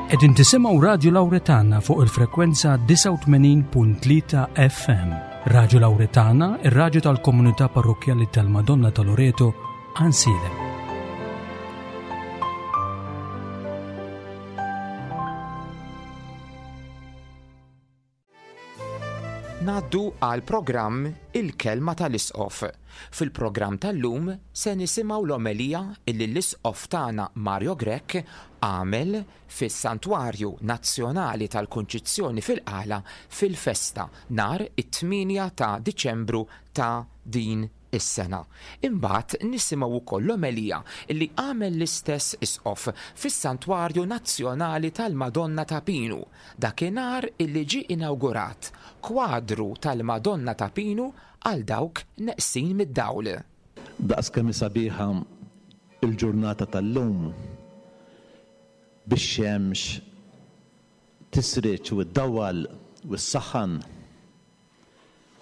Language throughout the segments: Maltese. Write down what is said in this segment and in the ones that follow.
Qegħdin tisimgħu Radju Lawretana fuq il-frekwenza 89.3 FM. Radju Lawretana, ir-radju tal-komunità parrokkjali tal-Madonna ta' Loreto, Ansilem. Ngħaddu għal programm Il-Kelma tal-Isqof. Fil-programm tal-lum se nisimgħu l-omelija illi l-Isqof tagħna Mario Grech għamel fis-Santwarju Nazzjonali tal-Kunċizzjoni fil-Qala fil-festa nhar it-8 ta' Diċembru ta' din is-sena. Imbagħad nisimgħu wkoll l-omelija li għamel l-istess Isqof fis-Santwarju Nazzjonali tal-Madonna ta' Pinu dakinhar illi ġie inawgurat kwadru tal-Madonna ta' Pinu għal dawk neqsin mid-dawl. Daqs kemm hi sabiħa l-ġurnata tal-lum bix-xemx tisriġ u ddawwal u ssaħħan,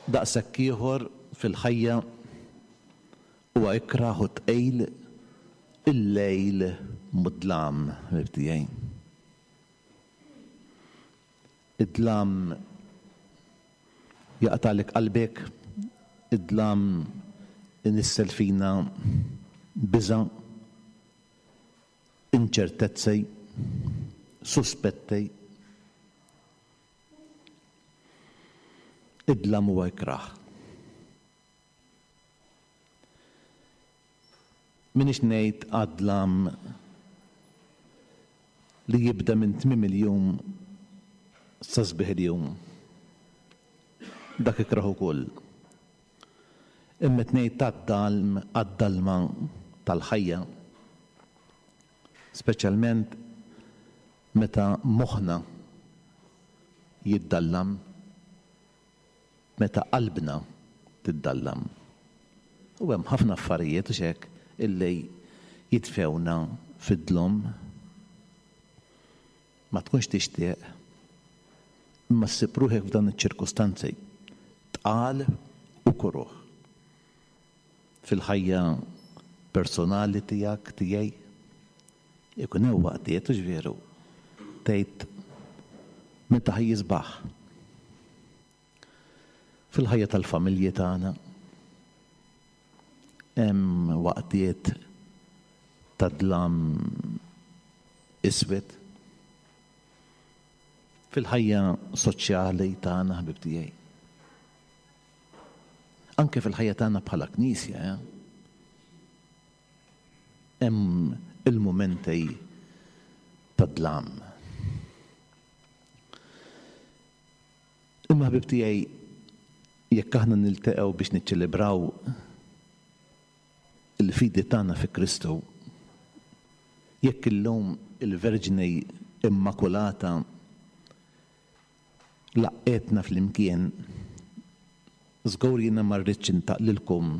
Daqshekk ieħor fil-ħajja huwa ikrah u tqil il-lejl mudlam, ħbieb tiegħi. Id-dlam jaqtagħlek qalbek, id-dlam inissel fina biża', inċertezzi, suspetti. Id-dlam huwa ikrah. M'iniex ngħid għad-dlam li jibda minn tmiem il-jum sa sbieħ il-jum. Dak ikrah ukoll. Imma qed ngħid għad-dalm, għad-dalma tal-ħajja. Speċjalment Meta moħħna jiddallam, meta qalbna tiddallam. U hemm ħafna affarijiet, hux hekk, illi jitfgħuna fid-dlom. Ma tkunx tixtieq, imma ssib ruħek f'dawn iċ-ċirkustanzi, tqal u kuruh. Fil-ħajja personali tiegħek, tiegħi, Ikun hemm waqtiet, hux veru, tgħid meta ħa jisbaħ. Fil-ħajja tal-familji tagħna hemm waqtiet ta' dlam iswed. Fil-ħajja soċjali tagħna, ħbieb tiegħi. Anke fil-ħajja tagħna bħala Knisja, eh? Hemm il-mumenti ta' dlam. Imma ħbieb tiegħi, jekk aħna nilteqgħu biex niċċelebraw il-fidi tagħna fi Kristu, jekk illum il-Verġni Immakulata laqqgħetna flimkien, żgur jiena ma rridx intaqlilkom,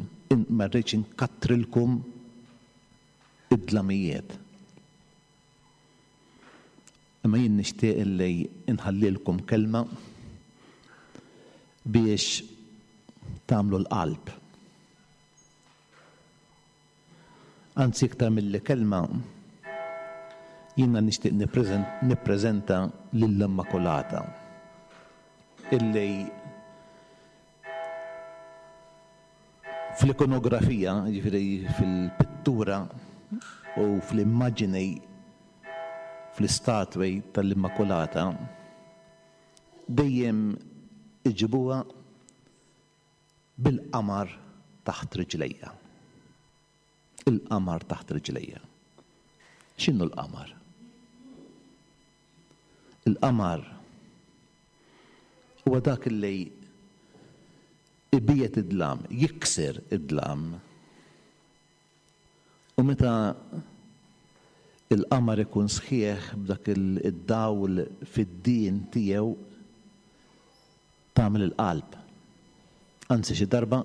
ma rridx inkattrilkom id-dlamijiet. Imma jien nixtieq illi nħallilkom kelma biex tagħmlu l-qalb. Anzi iktar milli kelma, jiena nixtieq nippreżenta lill-Immakulata illi fl-ikonografija, jiġifieri fil-pittura u fl-immaġini, fl-istatwi tal-Immakulata, dejjem iġibuha Bil-qamar taħt riġlejja. Il-qamar taħt riġlejja. X'inhu l-qamar? Il-qamar huwa dak li ibiegħed id-dlam, jikser id-dlam. U meta l-qamar ikun sħiħ b'dak id-dawl fid-dien tiegħu, tagħmel il-qalb. Anzi xi darba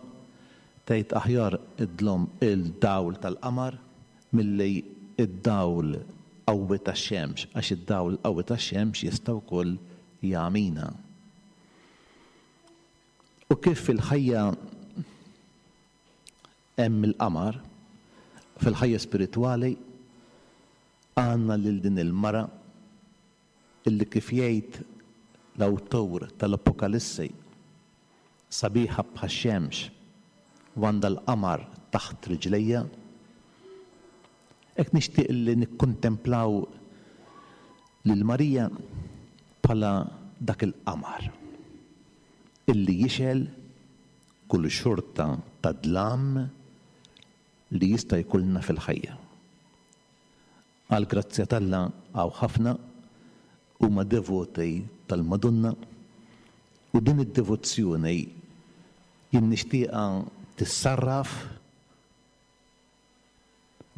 tgħid aħjar id-dlom il-dawl tal-qamar milli d-dawl qawwi tax-xemx għax id-dawl qawwi tax-xemx jista' wkoll jagħmina. U kif fil-ħajja Hemm il-qamar, fil-ħajja spiritwali għandna lil din il-mara. illi kif jgħid l-awtur tal-Apokalissi, sabiħa bħax-xemx u għandha l-qamar taħt riġlejha. Hekk nixtieq li nikkuntemplaw lil Marija bħala dak il-qamar illi jixgħel kull xorta ta' dlam li jista' jkollna fil-ħajja. Għall-grazzja t'Alla hawn ħafna huma devoti tal-Madonna u din id-devozzjoni jien nixtieqha tissarraf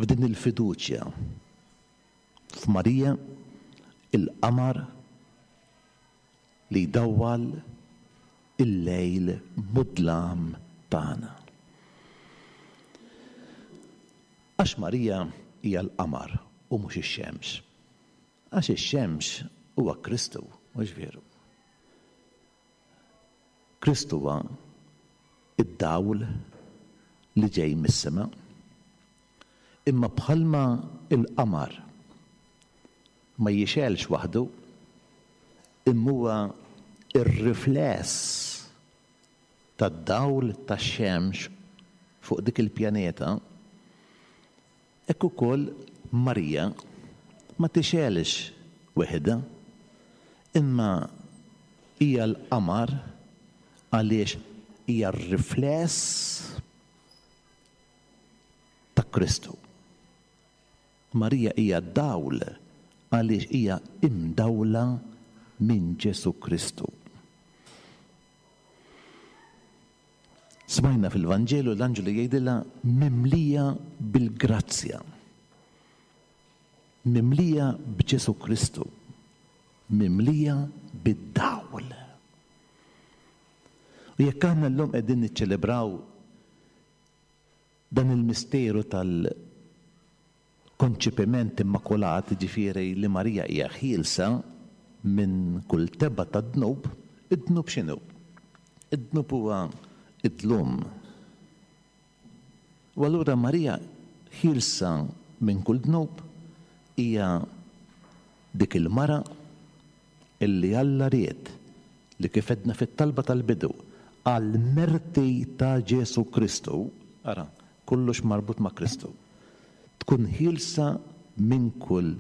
f'din il-fiduċja f'Marija, il-qamar li jdawwal il-lejl mudlam tagħna. Għax Marija hija l-qamar u mhux ix-xemx. Għax ix-xemx huwa Kristu, mhux veru? Kristu huwa d-dawl li ġej mis-sema. Imma bħalma l-qamar ma jixgħelx waħdu, imma huwa r-rifless tad-dawl tax-xemx fuq dik il-pjaneta, hekk ukoll Marija ma tixgħelx weħidha, imma hija l-qamar għaliex hija r-rifless ta' Kristu. Marija hija d-dawl għaliex hija imdawla minn Ġesù Kristu. Smajna fil-Vanġelu l-anġlu jgħidilha mimlija bil-grazzja. Mimlija b'Ġesù Kristu. Mimlija bid-dawl. U jekk aħna llum qegħdin niċċelebraw Dan il-misteru tal-konċepiment immakulat, jiġifieri li Marija hija ħielsa minn kull tebgħa tad-dnub, id-dnub x'inhu? Id-dnub huwa d-dlum. U allura Marija ħielsa minn kull dnub hija dik il-mara illi Alla ried li kif għedna fit-talba tal-bidu, għall-merti ta' Ġesù Kristu, ara, kollox marbut ma' Kristu, tkun ħielsa minn kull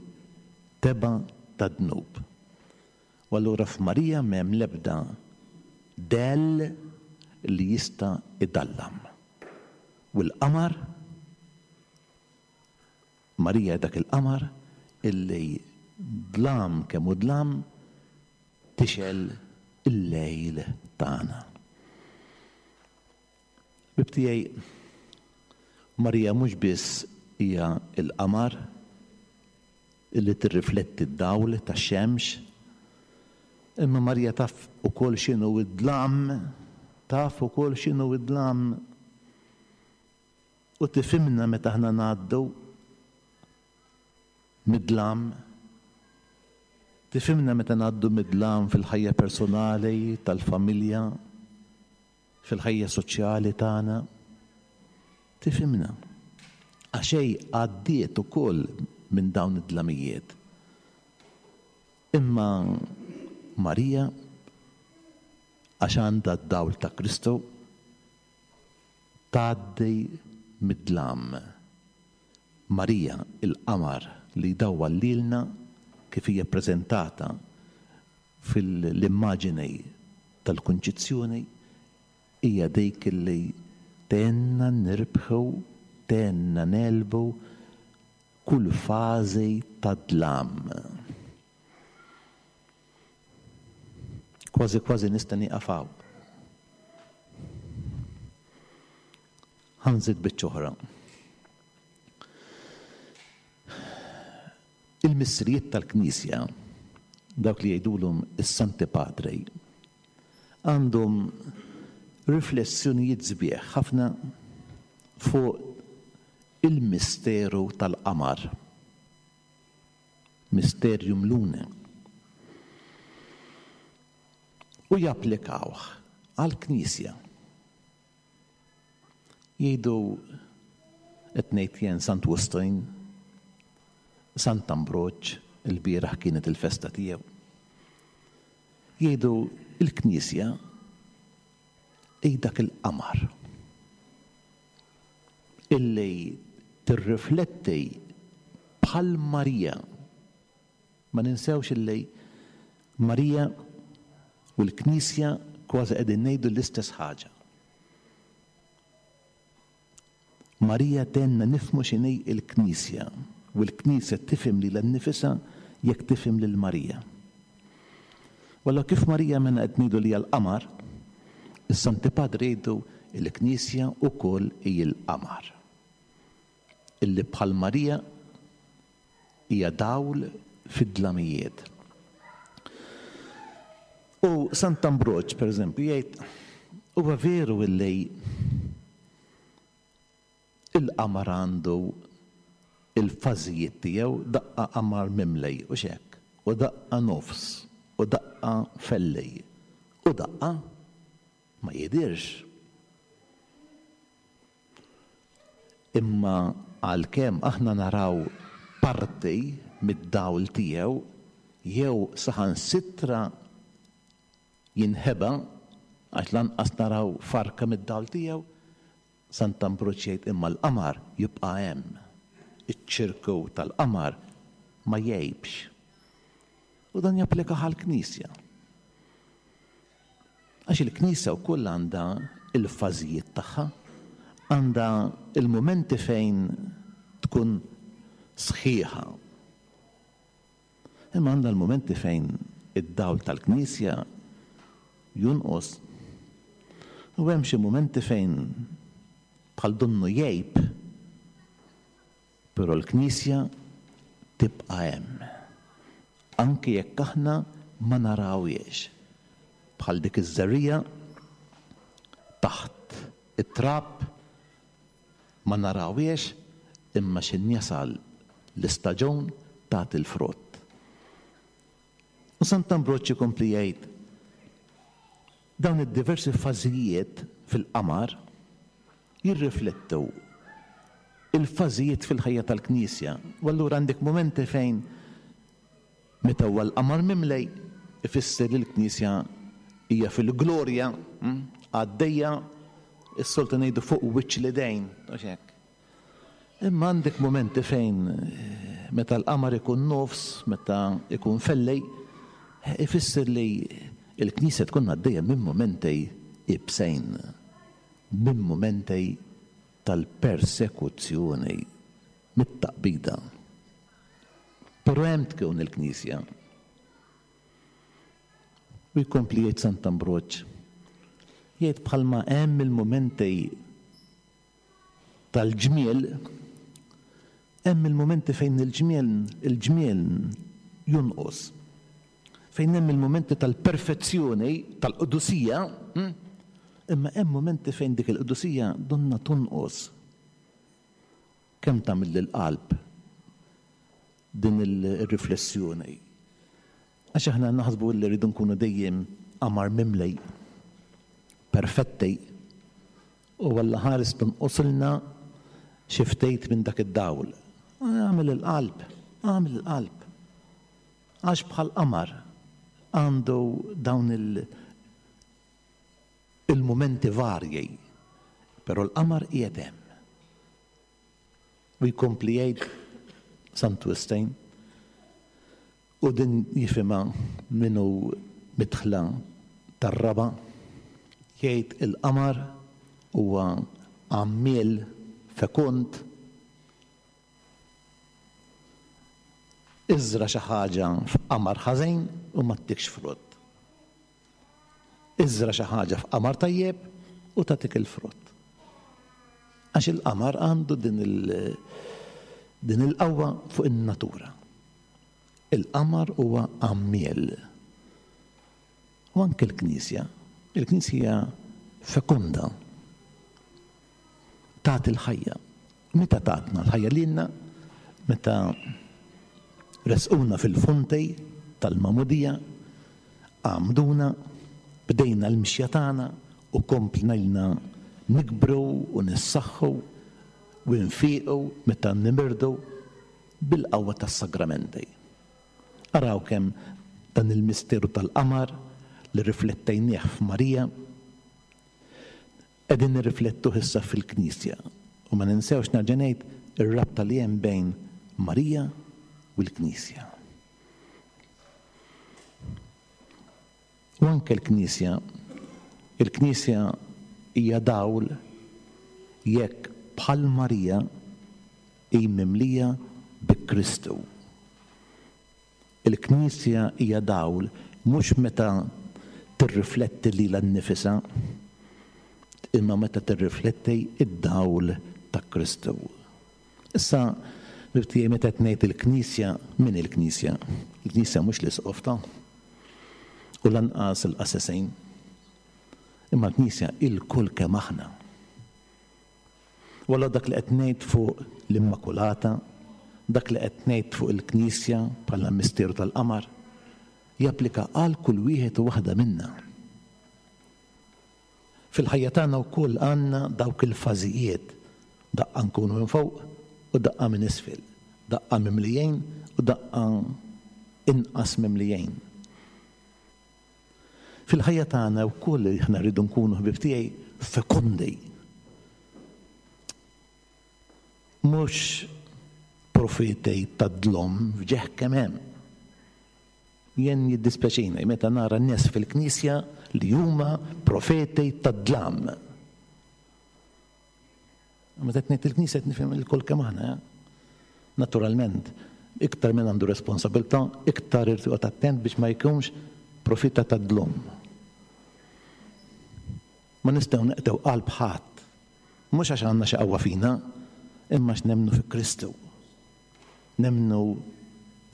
tebgħa ta' dnub. U allura f'Marija m'hemm l-ebda dell li jista' idallam. U l-qamar, Marija hi dak il-qamar illi dlam kemm hu dlam, tixgħel il-lejl tagħna. Ħbieb tiegħi, Marija mhux biss hija l-qamar illi tirrifletti d-dawl tax-xemx, imma Marija taf ukoll x'inhu d-dlam, taf ukoll x'inhu d-dlam. U tifhimna meta aħna ngħaddu mid-dlam. Tifhimna meta ngħaddu mid-dlam fil-ħajja personali, tal-familja, fil-ħajja soċjali tagħna. Tifhimna. Għax hi għaddiet ukoll minn dawn id-dlamijiet. Imma Marija, għax għandha d-dawl ta' Kristu, tgħaddi mid-dlam. Marija, il-qamar li jdawwal lilna kif hija ppreżentata fil-immaġini tal-Kunċizzjoni, hija dik li tgħinna nirbħu, tgħinna negħlbu kull fażi ta' dlam. Kważi kważi nista' nieqaf hawn. Ħa nżid biċċa oħra. Il-missirijiet tal-Knisja, dawk li jgħidulhom is-Santi Padri, għandhom riflessjonijiet sbieħ ħafna fuq il-misteru tal-qamar. Mysterium Lunae, u japplikawh għall-Knisja. Jgħidu, qed ngħid jien Sant Wistin, Sant Ambroġ, ilbieraħ kienet il-festa tiegħu. Jgħidu l-Knisja hi dak il-qamar illi tirrifletti bħal Marija. Ma ninsewx illi Marija u l-Knisja kważi qegħdin ngħidu l-istess ħaġa. Marija tgħinna nifhmu x'inhi l-Knisja u l-Knisja tifhem lilha nnifisha jekk tifhem lil Marija. U allura kif Marija mela qed ngħidu li hija l-qamar, is-Santi Padri jgħidu l-Knisja wkoll hi l-qamar. Illi bħal Marija hija dawl fid-dlamijiet. U Sant'Ambroġ, per eżempju, jgħid, huwa veru illi il-qamar għandu il-fażijiet tiegħu, daqqa qamar mimlej, hux hekk, u daqqa nofs, u daqqa fellej, u daqqa ma jidhirx. Imma għalkemm aħna naraw parti mid-dawl tiegħu jew saħansitra jinħeba għax lanqas naraw farka mid-dawl tiegħu, Sant'Ambroġ jgħid imma l-qamar jibqa' hemm. Iċ-ċirku tal-qamar ma jgħibx. U dan japplika għall-Knisja. Għax il-Knisja wkoll għandha l-fażijiet tagħha, għandha l-mumenti fejn tkun sħiħa. Imma għandha l-mumenti fejn id-dawl tal-Knisja jonqos. U hemm xi mumenti fejn bħal donnu jgħib, però l-Knisja tibqa' hemm. Anki jekk aħna ma narawhiex. Bħal dik iż-żerriegħa taħt it-trab ma narawhiex imma x'in jasal l-istaġun tagħti l-frott. U Sant'Ambroġ ikompli jgħid, dawn id-diversi fażijiet fil-qamar jirriflettu l-fażijiet fil-ħajja tal-Knisja. U allura għandek mumenti fejn meta huwa l-qamar mimlej ifisser li l-Knisja hija fil-glorja, għaddejja, is-soltu ngħidu fuq wiċċ l-idejn, hux hekk? Imma għandek mumenti fejn meta l-qamar ikun nofs, meta ikun fellej, ifisser li l-Knisja tkun għaddejja minn mumenti ibsejn. Minn mumenti tal-persekuzzjoni, mit-taqbida. Però hemm tkun il-Knisja. U jkompli jgħid Sant'Ambroġ, jgħid bħalma hemm il-mumenti tal-ġmiel, hemm il-mumenti fejn il-ġmiel il-ġmiel jonqos. Fejn hemm il-mumenti tal-perfezzjoni, tal-qdusija, imma hemm mumenti fejn dik il-qdusija donnha tonqos. Kemm tagħmel lill-qalb din ir-riflessjoni? Għax aħna naħsbu li rridu nkunu dejjem qamar mimli, perfetti, u Alla ħares tonqosilna xi ftit minn dak id-dawl. Agħmel il-qalb, agħmel il-qalb. Għax bħal qamar għandu dawn il- il-mumenti varji, però l-qamar qiegħed hemm. U jkompli jgħid Santu Wistin, u din jifhimha min hu midħla tar-raba', jgħid il-qamar huwa għammiel fekund, iżra' xi ħaġa f'qamar ħażin u ma ttikx frott. Iżra' xi ħaġa f'qamar tajjeb u tagħtik il-frott. Għax il-qamar għandu din il din il-qawwa fuq in-natura. Il-qamar huwa għammiel. U anke l-Knisja, il-Knisja hija fekonda. Tagħti l-ħajja. Meta tatna l-ħajja lilna? Meta resquna fil-fonti tal-magħmudija, għammduna, bdejna l-mixja tagħna u komplejna nikbru u nissaħħu u nfiqu meta nimirdu bil-qawwa tas-sagramenti. Araw kemm dan il-misteru tal-qamar. li rriflettejnieh f'Marija, qegħdin nirriflettuh issa fil-Knisja. U ma ninsewx nerġa' ngħid ir-rabta li hemm bejn Marija u l-Knisja. U anke l-Knisja, il-Knisja hija dawl jekk bħal Marija hi mimlija bi Kristu. Il-Knisja hija dawl mhux meta tirrifletti lilha nnifisha, imma meta tirrifletti d-dawl ta' Kristu. Issa, ħbieb tiegħi, meta qed ngħid il-Knisja, min hi l-Knisja? Il-Knisja mhux l-Isqof ta' u lanqas il-qassisin. Imma l-Knisja ilkoll kemm aħna. U allura dak li qed ngħid fuq l-Immakulata, dak li qed ngħid fuq il-Knisja bħala misteru tal-qamar, japplika għal kull wieħed u waħda minna. Fil-ħajja tagħna wkoll għandna dawk il-fażijiet, daqqa nkunu minn fuq u daqqa minn isfel, daqqa mimlijin u daqqa inqas mimlijin. Fil-ħajja tagħna wkoll aħna rridu nkunu ħbieb tiegħi fekondi. Mhux profeti tad-dlom f'ġeħ kemm hemm. Jien jiddispjaċini meta nara nies fil-knisja li huma profeti tad-dlam. Meta qed ngħid il-Knisja qed nifhem ilkoll kemm aħna. Eh? Naturalment, iktar min għandu responsabilità, iktar irid joqgħod attent biex ma jkunx profita tad-dlom. Ma nistgħu neqtew qalb ħadd. Mhux għax għandna xi qawwa fina, imma għax nemmnu fi Kristu. Nemmnu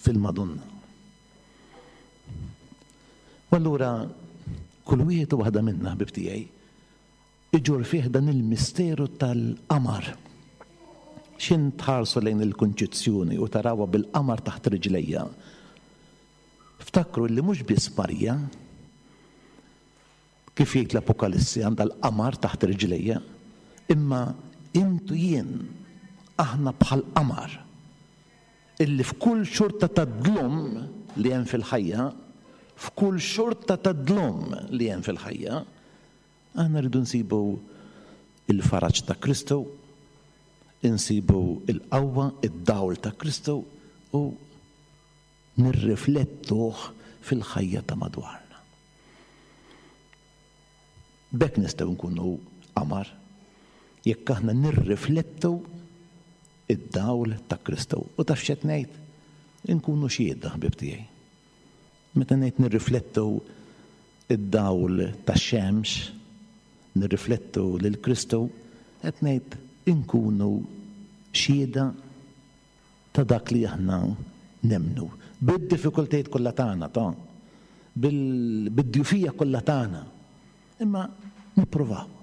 fil-Madonna. U allura kull wieħed u waħda minna ħbib tiegħi Iġorr fih dan il-misteru tal-qamar. X'in tħarsu lejn il-Kunċizzjoni u tarawha bil-qamar taħt riġlejha, ftakru li mhux biss Marija, kif jgħid l-Apokalissi, għandha l-qamar taħt riġlejha, imma int u jien aħna bħall-qamar illi f'kull xorta ta' dlum li hemm fil-ħajja, f'kull xorta ta' dlum li hemm fil-ħajja, Aħna rridu nsibu l-faraġ ta' Kristu, insibu l-qawwa, id-dawl ta' Kristu u nirriflettuh fil-ħajja ta' madwarna. B'hekk nistgħu nkunu qamar jekk aħna nirriflettu id-dawl ta' Kristu. U taf x'qed ngħid? Inkunu xhieda, ħbieb tiegħi. Meta ngħid nirriflettu d-dawl tax-xemx, nirriflettu lil Kristu, qed ngħid inkunu xhieda ta' dak li aħna nemmnu. Bid-diffikultajiet kollha tagħna, ta', bid-djufija kollha tagħna. Imma nippruvaw.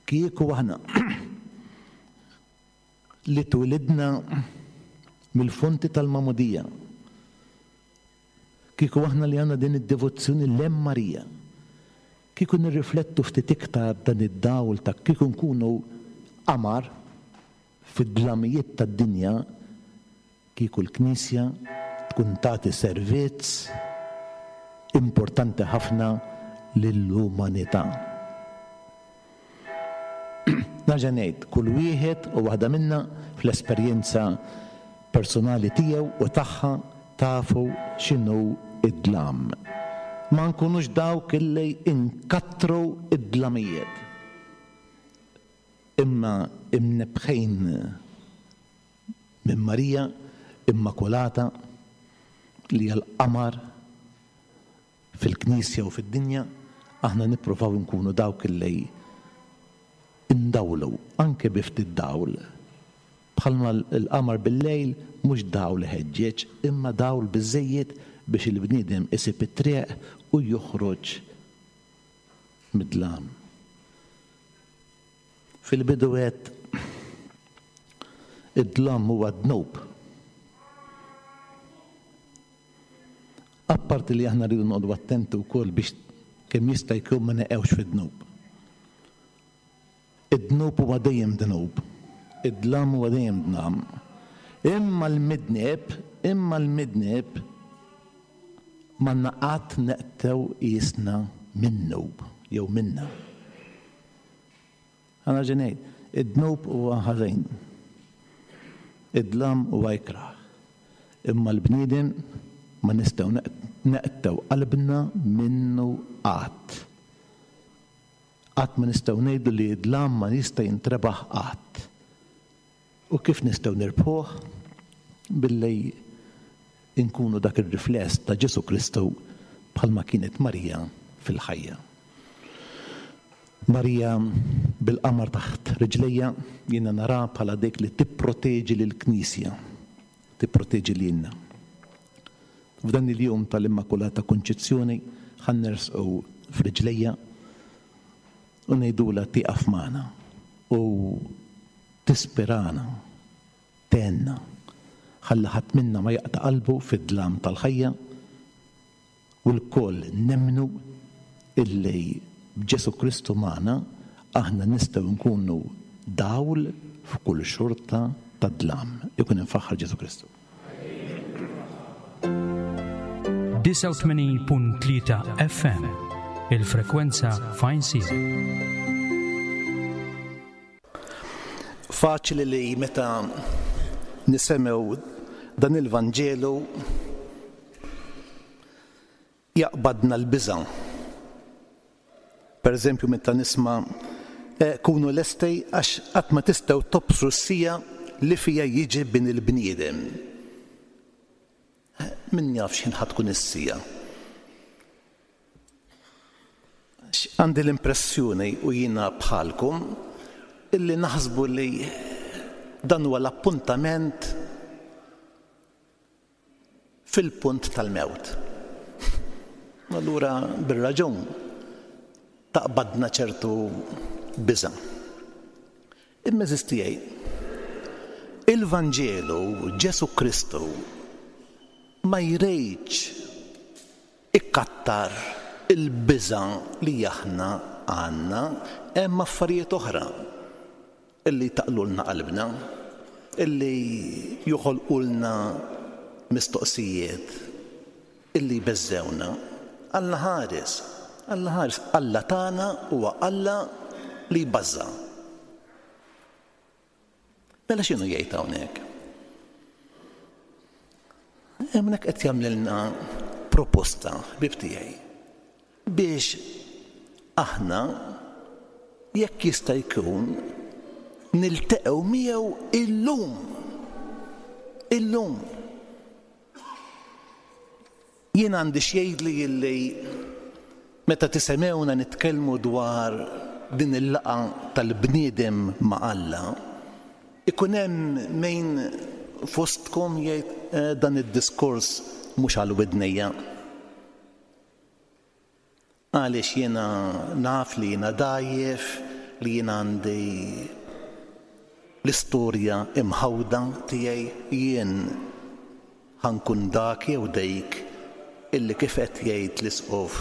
Kieku aħna li twilidna mill-fonti tal-Magħmudija. Kieku aħna li għandna din id-devozzjoni lem Marija, kieku nirriflettu ftit iktar dan id-dawl ta' kieku nkunu qamar fid-dlamijiet tad-dinja, Kieku l-Knisja tkun tagħti servizz importanti ħafna lill-umanità. Nerġa' ngħid, kull wieħed u waħda minna fl-esperjenza personali tiegħu u tagħha tafu x'inhu d-dlam. Ma nkunux dawk illi nkattru d-dlamijiet, imma imnebbħin Minn Marija Immakulata li hija l-qamar fil-Knisja u fid-dinja, aħna nippruvaw inkunu dawk li ndawlu anke bi ftit dawl. Bħalma l-qamar bil-lejl mhux dawl iħeġġeġ imma dawl biżżejjed biex il-bniedem isib it-triq u joħroġ mid-dlam. Fil-bidu għedt, Id-dlam huwa dnub. Apparti li aħna rridu noqogħdu attenti wkoll biex kemm jista' jkun ma neqgħux fid-dnub. Id-dnub huwa dejjem dnub. Id-dlam huwa dejjem dlam. Imma l-midneb, imma l-midneb. M'għandna qatt neqtgħu qisna minnu jew minnha. Ħa nerġa' ngħid, id-dnub huwa ħażin. Id-dlam huwa ikrah. Imma l-bniedem ma nistgħu neqtgħu qalbna minnu qatt. Qatt ma nistgħu ngħidu li d-dlam ma jista' jintrebaħ qatt. U kif nistgħu nirbħuh? Billi nkunu dak ir-rifless ta' Ġesù Kristu bħalma kienet Marija fil-ħajja. Marija bil-qamar taħt riġlejha jiena naraha bħala dik li tipproteġi lill-Knisja, tipproteġi lilna. F'dan il-jum tal-Immakulata Kunċizzjoni ħa nersqu f'riġlejha u ngħidulha tieqaf magħna u tispirana, tgħinna, ħalli ħadd minna ma jaqta' qalbu fid-dlam tal-ħajja u lkoll nemmnu illi b'Ġesù Kristu magħna aħna nistgħu nkunu dawl f'kull xorta ta' dlam. Ikun imfaħħar Ġesù Kristu. 89.3 FM, il-frekwenza fajn Faċli li meta nisemgħu dan il-Vanġelu jaqbadna l-biża'. Per eżempju meta nisma' eh, kunu lesti għax qatt ma tistgħu tobsru s-siegħa li fiha jiġi bin il-bniedem. Eh, min jaf x'ħin ħa tkun is-siegħa. Għandi l-impressjoni u jiena bħalkom illi naħsbu li dan huwa l-appuntament fil-punt tal-mewt. Allura bir-raġun taqbadna ċertu biża'. Imma għeżież tiegħi, il-Vanġelu Ġesù Kristu ma jridx ikattar il-biża' li aħna għandna, hemm affarijiet oħra illi jtaqqlulna qalbna, illi joħolqulna mistoqsijiet, illi jbeżżgħuna. Alla ħares, Alla ħares, Alla tagħna huwa Alla li jbażża'. Mela x'inhu jgħid hawnhekk? Hawnhekk qed jagħmlilna proposta, ħbieb tiegħi, biex aħna jekk jista' jkun nilteqgħu miegħu illum. Illum. Jien għandi x'jgħidli illi meta tisemgħuna nitkellmu dwar din il-laqgħa tal-bniedem ma' Alla, ikun hemm min fostkom jgħid dan id-diskors mhux għal widnejja. Għaliex jiena naf li jiena dgħajjef, li jiena għandi l-istorja imħawda tiegħi, jien ħa nkun dak jew dik illi kif qed jgħid l-Isqof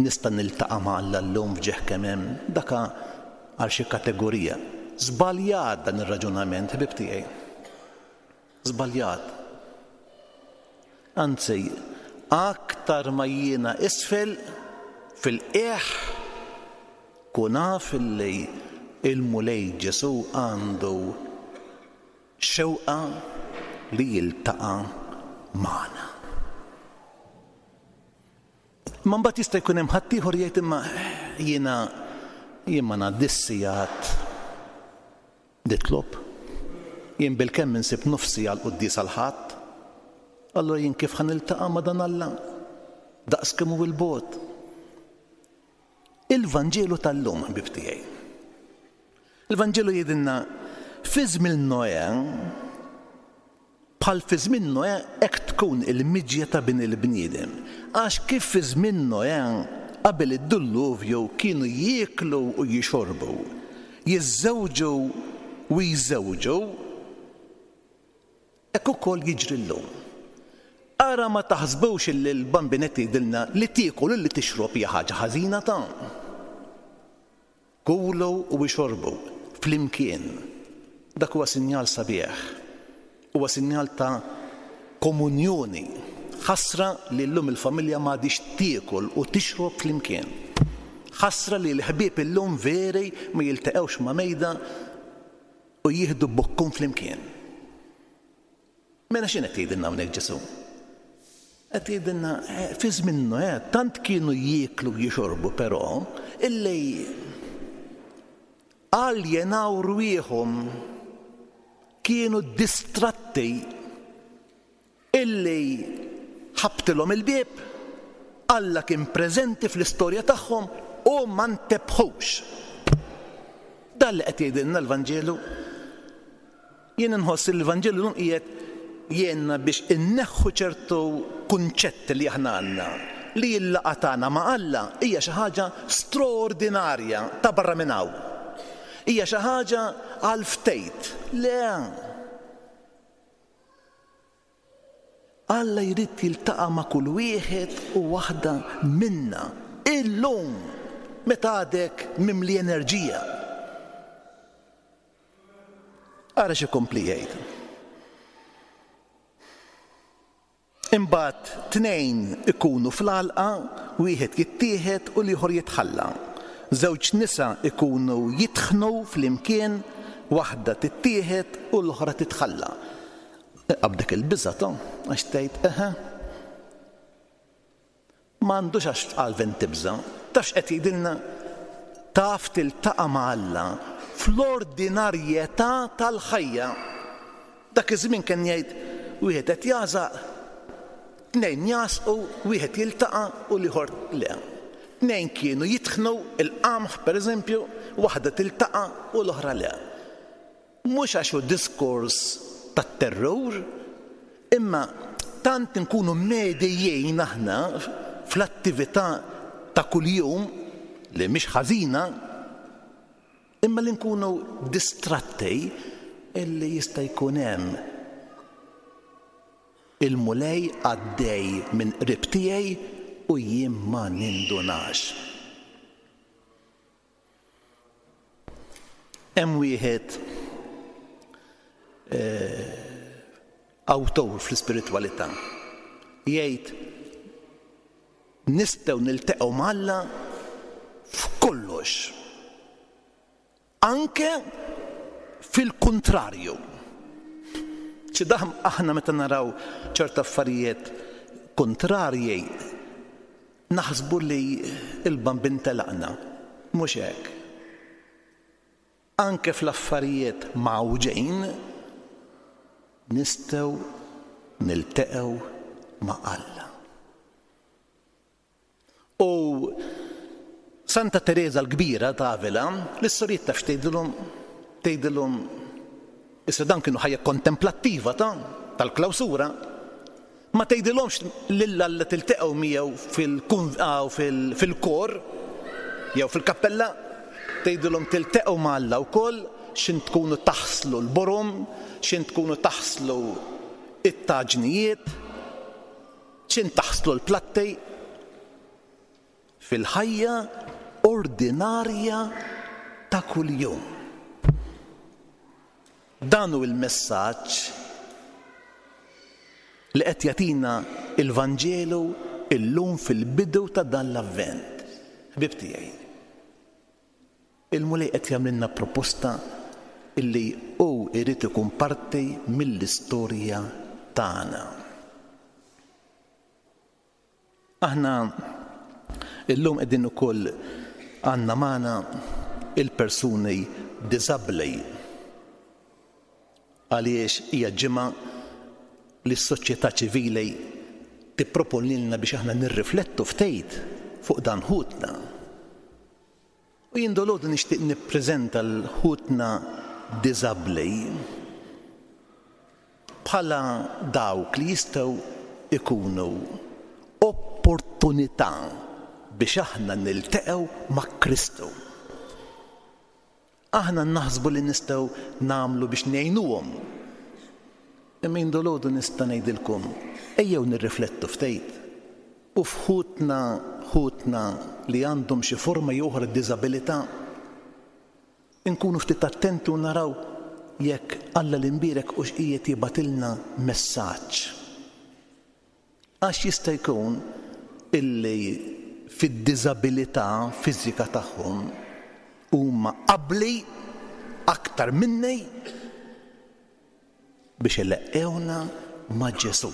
nista' niltaqa' ma' Alla llum f'ġieħ kemm hemm, dak għal xi kategorija. Żbaljat dan ir-raġunament, ħbieb tiegħi. Żbaljat. Anzi, aktar ma jiena isfel fil-qiegħ, kun af illi l-Mulej Ġesù għandu xewqa li jiltaqa' magħna. Imma mbagħad jista' jkun hemm ħaddieħor jgħid imma jiena jien ma ngħaddix sigħat Nitlob. Jien bilkemm insib nofsi għall-quddiesa l-Ħadd. Allura jien kif ħa niltaqa' ma' dan Alla? Daqs kemm hu 'l bogħod. Il-Vanġelu tal-lum, ħbieb tiegħi. Il-Vanġelu jgħidilna fi żmien Noè, Bħal fi żmien Noè hekk tkun il-miġja ta' Bin il-bniedem. Għax kif fi żmien Noè, qabel id-dulluvju, kienu jieklu u jixorbu, jiżżewġu u jżewġu, hekk ukoll jiġri llum. Ara ma taħsbux illi l-Bambin qed jgħidilna li tiekol u li tixrob hija ħaġa ħażina ta'. Kulu u ixorbu flimkien. Dak huwa sinjal sabiħ. Huwa sinjal ta' komunjoni. Ħasra li llum il-familja m'għadhiex tiekol u tixrob flimkien. Ħasra li l-ħbieb illum veri ma jiltaqgħux ma' mejda u jieħdu bukkun flimkien. Mela x'inhu qed jgħidilna hawnhekk Ġesù? Qed jgħidilna eh, fi żmien Noè tant kienu jieklu u jixorbu però illi aljenaw rwieħhom kienu distratti illi ħabtilhom il-bieb, Alla kien preżenti fl-istorja tagħhom u ma ntebħux. Dan li qed jgħidilna l-Vanġelu. Jien inħoss li l-Vanġelu llum qiegħed jgħinna biex inneħħu ċertu kunċetti li aħna għandna li l-laqgħa tagħna ma' Alla hija xi ħaġa straordinarja ta' barra minn hawn. Hija xi ħaġa għal ftejt. Le! Alla jrid jiltaqa' ma' kull wieħed u waħda minna illum meta għadek mimli enerġija. Ara x'ikompli jgħid. Imbagħad tnejn ikunu fl-għalqa, wieħed jittieħed u l-ieħor jitħalla. Żewġ nisa jkunu jitħnu flimkien, waħda tittieħed u l-oħra titħalla. Qabdek il-biża' to, għax tgħid eħe. M'għandux għax Alvin tibża'. Taf x'qed jgħidilna? Taf tiltaqa' ma' Alla fl-ordinarjetà tal-ħajja. Dak iż-żmien kien jgħid wieħed qed jagħżaq, tnejn jagħżqu, wieħed jiltaqa' u l-ieħor le. Tnejn kienu jitħnu l-qamħ pereżempju, waħda tiltaqa' u l-oħra le. Mhux għax hu diskors tat-terrur, imma tant inkunu medijin aħna fl-attività ta' kuljum, li mhix ħażina, imma li nkunu distratti illi jista' jkun hemm il-Mulej għaddej minn qrib tiegħi u jien ma nindunax. Hemm wieħed awtur fl-ispiritwalità jgħid nistgħu niltaqgħu ma' Alla f'kollox, anke fil-kuntrarju. Xi daħm aħna meta naraw ċerta affarijiet kuntrarji Naħsbu li l-Bambin telaqna. Mhux hekk. Anke fl-affarijiet mgħawġin nistgħu nilteqgħu ma' Alla. U Santa Tereża l-Kbira ta' Avila, lis-sorijiet taf x'tgħidilhom? Tgħidilhom, issa dan kienu ħajja kontemplattiva ta' tal-klawsura, Ma tgħidilhomx lil Alla tilteqgħu miegħu fil-kor jew fil-kappella, tgħidilhom tilteqgħu ma' Alla wkoll x'int tkunu taħslu l-borom, x'int tkunu taħslu t-taġnijiet, x'int taħslu l-platti. Fil-ħajja ordinarja ta' kuljum. Dan hu l-messaġġ li qed jagħtina l-Vanġelu llum fil-bidu ta' dan l-Avvent. Ħbieb tiegħi, il-Mulej qed jagħmlilna proposta illi hu jrid ikun parti mill-istorja tagħna. Aħna illum qegħdin ukoll għandna magħna il-persuni diżabbli għaliex hija ġimgħa li s-soċjetà ċivili tipproponilna biex aħna nirriflettu ftit fuq dan ħutna. U jien dolodu nixtieq nippreżenta l ħutna diżabbli bħala dawk li jistgħu jkunu opportunità biex aħna nilteqgħu ma' Kristu. Aħna naħsbu li nistgħu nagħmlu biex ngħinuhom. Imma jien dolodu nista' ngħidilkom, ejjew nirriflettu ftit. U f'ħutna, ħutna li għandhom xi forma jew oħra diżabilità, inkunu ftit attenti u naraw jekk Alla l-Imbierek hux qiegħed jibgħatilna messaġġ. Għax jista' jkun illi fid-diżabilità fiżika tagħhom huma abbli aktar minni biex ileqqgħuna ma' Ġesù.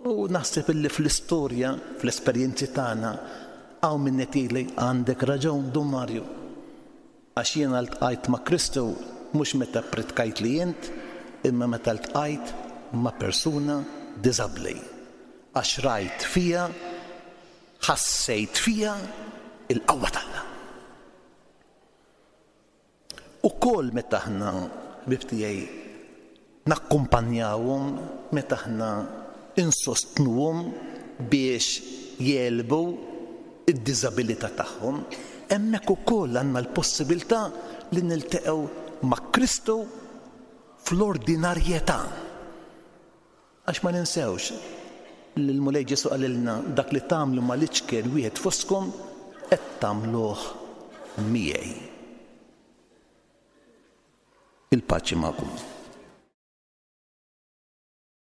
U naħseb illi fl-istorja, fl-esperjenzi tagħna, hawn min qed jgħidli għandek raġun Dun Mario. Għax jiena ltqajt ma' Kristu mhux meta ppritkajtli int, imma meta ltqajt ma' persuna diżabbli. Għax rajt fiha, ħassejt fiha l-qawwa t'Alla. Ukoll meta aħna, ħbieb tiegħi, nakkumpanjawhom, meta aħna insostnuhom biex jegħlbu d-diżabilità tagħhom, hemmhekk ukoll għandna l-possibilità li nilteqgħu ma' Kristu fl-ordinarjetà. Għax ma ninsewx li l-Mulej Ġesù qalilna dak li tagħmlu mal-iċken wieħed fostkom qed tagħmluh miegħi. Il-paċi magħkom.